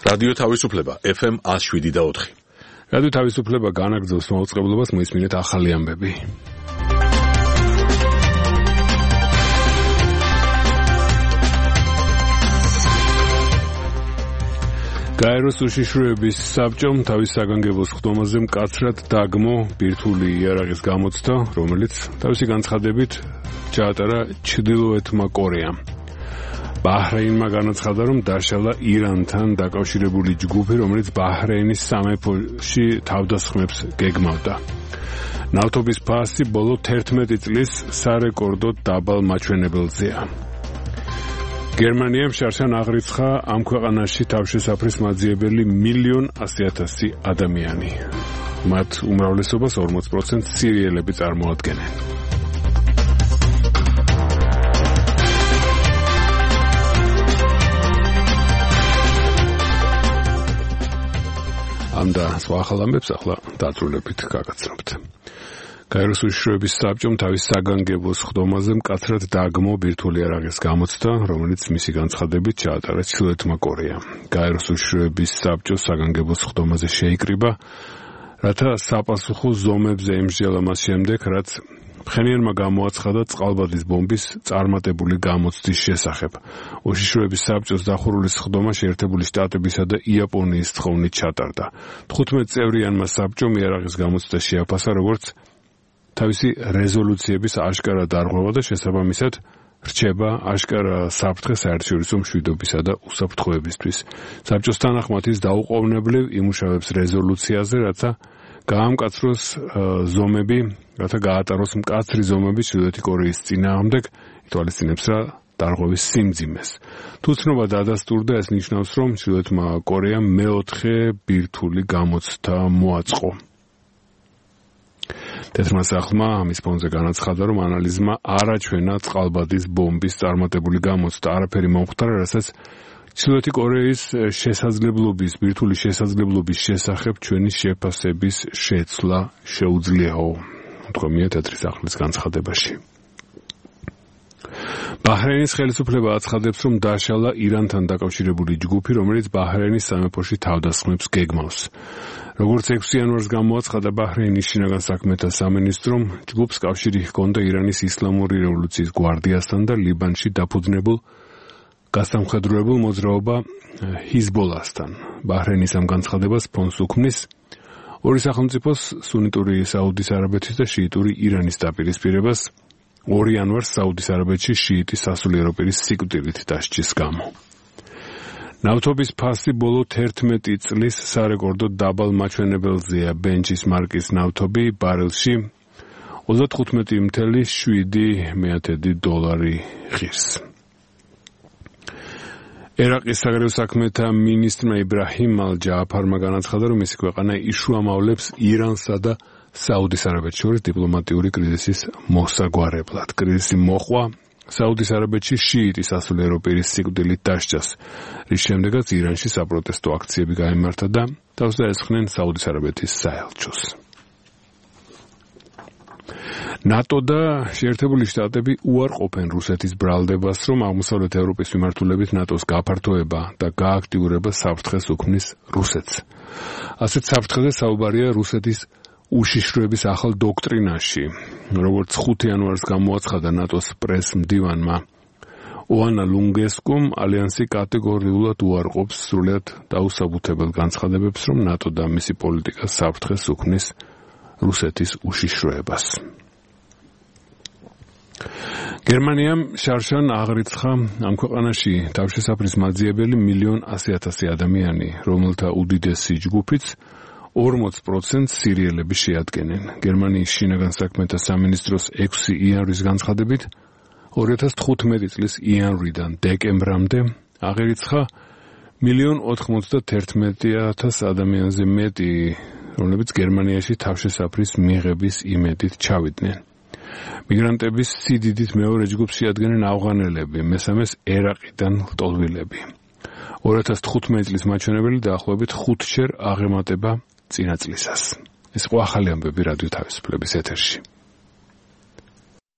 რადიო თავისუფლება FM 107.4. რადიო თავისუფლება განაგრძობს მაუწყებლობას, მოისმინეთ ახალი ამბები. გაეროს უშიშროების საბჭომ თავის საგანგებო სხდომაზე მკაცრად დაგმო ბირთვული იარაღის გამოცდა, რომელიც თავისი განცხადებით ჩაატარა ჩრდილოეთმა კორეამ. ბაჰრეინმა განაცხადა, რომ დაშალა ირანთან დაკავშირებული ჯგუფი, რომელიც ბაჰრეინის სამეფოში თავდასხმებს გეგმავდა. ნავთობის ფასი ბოლო 11 წლის სარეკორდო დაბალ მაჩვენებელზეა. გერმანიამ შარშან აღრიცხა ამ ქვეყანაში თავშესაფრის მაძიებელი 1,100,000 ადამიანი. მათ უმრავლესობას 40% სირიელები წარმოადგენენ. ამ და სხვა ახალ ამბებს ახლა დაწვრილებით გაგაცნობთ. გაეროს უშიშროების საბჭომ თავის საგანგებო სხდომაზე მკაცრად დაგმო ბირთვული იარაღის გამოცდა, რომელიც მისი განცხადებით ჩაატარა ჩრდილოეთმა კორეამ. გაეროს უშიშროების საბჭოს საგანგებო სხდომაზე შეიკრიბა, რათა საპასუხო ზომებზე ემსჯელა მას შემდეგ, რაც ფხენიანმა გამოაცხადა წყალბადის ბომბის წარმატებული გამოცდის შესახებ. უშიშროების საბჭოს დახურული სხდომა შეერთებული შტატებისა და იაპონიის თხოვნით ჩატარდა. 15 წევრიანმა საბჭომ იარაღის გამოცდა შეაფასა, როგორც თავისი რეზოლუციების აშკარა დარღვევა და შესაბამისად რჩება აშკარა საფრთხე საერთაშორისო მშვიდობისა და უსაფრთხოებისთვის. საბჭოს თანახმად ის დაუყოვნებლივ იმუშავებს რეზოლუციაზე, რათა გაამკაცროს ზომები, რათა გაატაროს მკაცრი ზომები ჩრდილოეთი კორეის წინააღმდეგ, ითვალისწინებს რა დარღვევის სიმძიმეს. თუ ცნობა დადასტურდა, ეს ნიშნავს, რომ ჩრდილოეთმა კორეამ მეოთხე ბირთვული გამოცდა მოაწყო. თეთრმა სახლმა ამის ფონზე განაცხადა, რომ ანალიზმა არაჩვენა წყალბადის ბომბის წარმატებული გამოცდა, არაფერი მომხდარა, რასაც ჩრდილოეთი კორეის შესაძლებლობის, ბირთვული შესაძლებლობის შესახებ ჩვენი შეფასების შეცვლა შეუძლიაო, უთქვამია თეთრი სახლის განცხადებაში. ბაჰრეინის ხელისუფლება აცხადებს, რომ დაშალა ირანთან დაკავშირებული ჯგუფი, რომელიც ბაჰრეინის სამეფოში თავდასხმებს გეგმავს. როგორც 6 იანვარს გამოაცხადა ბაჰრეინის შინაგან საქმეთა სამინისტრომ, ჯგუფს კავშირი ჰქონდა ირანის ისლამური რევოლუციის გვარდიასთან და ლიბანში დაფუძნებულ გასამხედროებულ მოძრაობა ჰიზბოლასთან. ბაჰრეინის ამ განცხადებას ფონს უქმნის ორი სახელმწიფოს, სუნიტური საუდის არაბეთის და შიიტური ირანის დაპირისპირებას 2 იანვარს საუდის არაბეთში შიიტი სასულიერო პირის სიკვდილით დასჯის გამო. ნავთობის ფასი ბოლო 11 წლის სარეკორდო დაბალ მაჩვენებელზეა. ბენჩის მარკის ნავთობი ბარელში 35.7 დოლარი ღირს. ერაყის საგარეო საქმეთა მინისტრმა იბრაჰიმ ალ-ჯააფარმა განაცხადა, რომ მისი ქვეყანა იშუამავლებს ირანსა და საუდის არაბეთს შორის დიპლომატიური კრიზისის მოსაგვარებლად. კრიზისი მოყვა საუდის არაბეთში შიიტი სასულიერო პირის სიკვდილით დასჯას, რის შემდეგაც ირანში საპროტესტო აქციები გაიმართა და თავს დაესხნენ საუდის არაბეთის საელჩოს. ნატო და შეერთებული შტატები უარყოფენ რუსეთის ბრალდებას, რომ აღმოსავლეთ ევროპის მიმართულებით ნატოს გაფართოება და გააქტიურება საფრთხეს უქმნის რუსეთს. ასეთ საფრთხეზე საუბარია რუსეთის უშიშროების ახალ დოქტრინაში, როგორც 5 იანვარს გამოაცხადა ნატოს პრეს-მდივანმა ოანა ლუნგესკუმ, ალიანსი კატეგორიულად უარყოფს სრულად დაუსაბუთებელ განცხადებებს, რომ ნატო და მისი პოლიტიკა საფრთხეს უქმნის რუსეთის უშიშროებას. გერმანიამ შარშან აღრიცხა ამ ქვეყანაში თავშესაფრის მაძიებელი 1,100,000 ადამიანი, რომელთა უდიდესი ჯგუფიც 40% სირიელები შეადგენენ. გერმანიის შინაგან საქმეთა სამინისტროს 6 იანვრის განცხადებით 2015 წლის იანვრიდან დეკემბრამდე აღირიცხა 1,91,000 ადამიანზე მეტი, რომლებიც გერმანიაში თავშესაფრის მიღების იმედით ჩავიდნენ. მიგრანტების სიდიდით მეორე ჯგუფს შეადგენენ ავღანელები, მესამეს ერაყიდან ლტოლვილები. 2015 წლის მაჩვენებელი დაახლოებით 5-ჯერ აღემატება წინა წლისას. ეს ყო ახალი ამბები რადიო თავისუფლების ეთერში.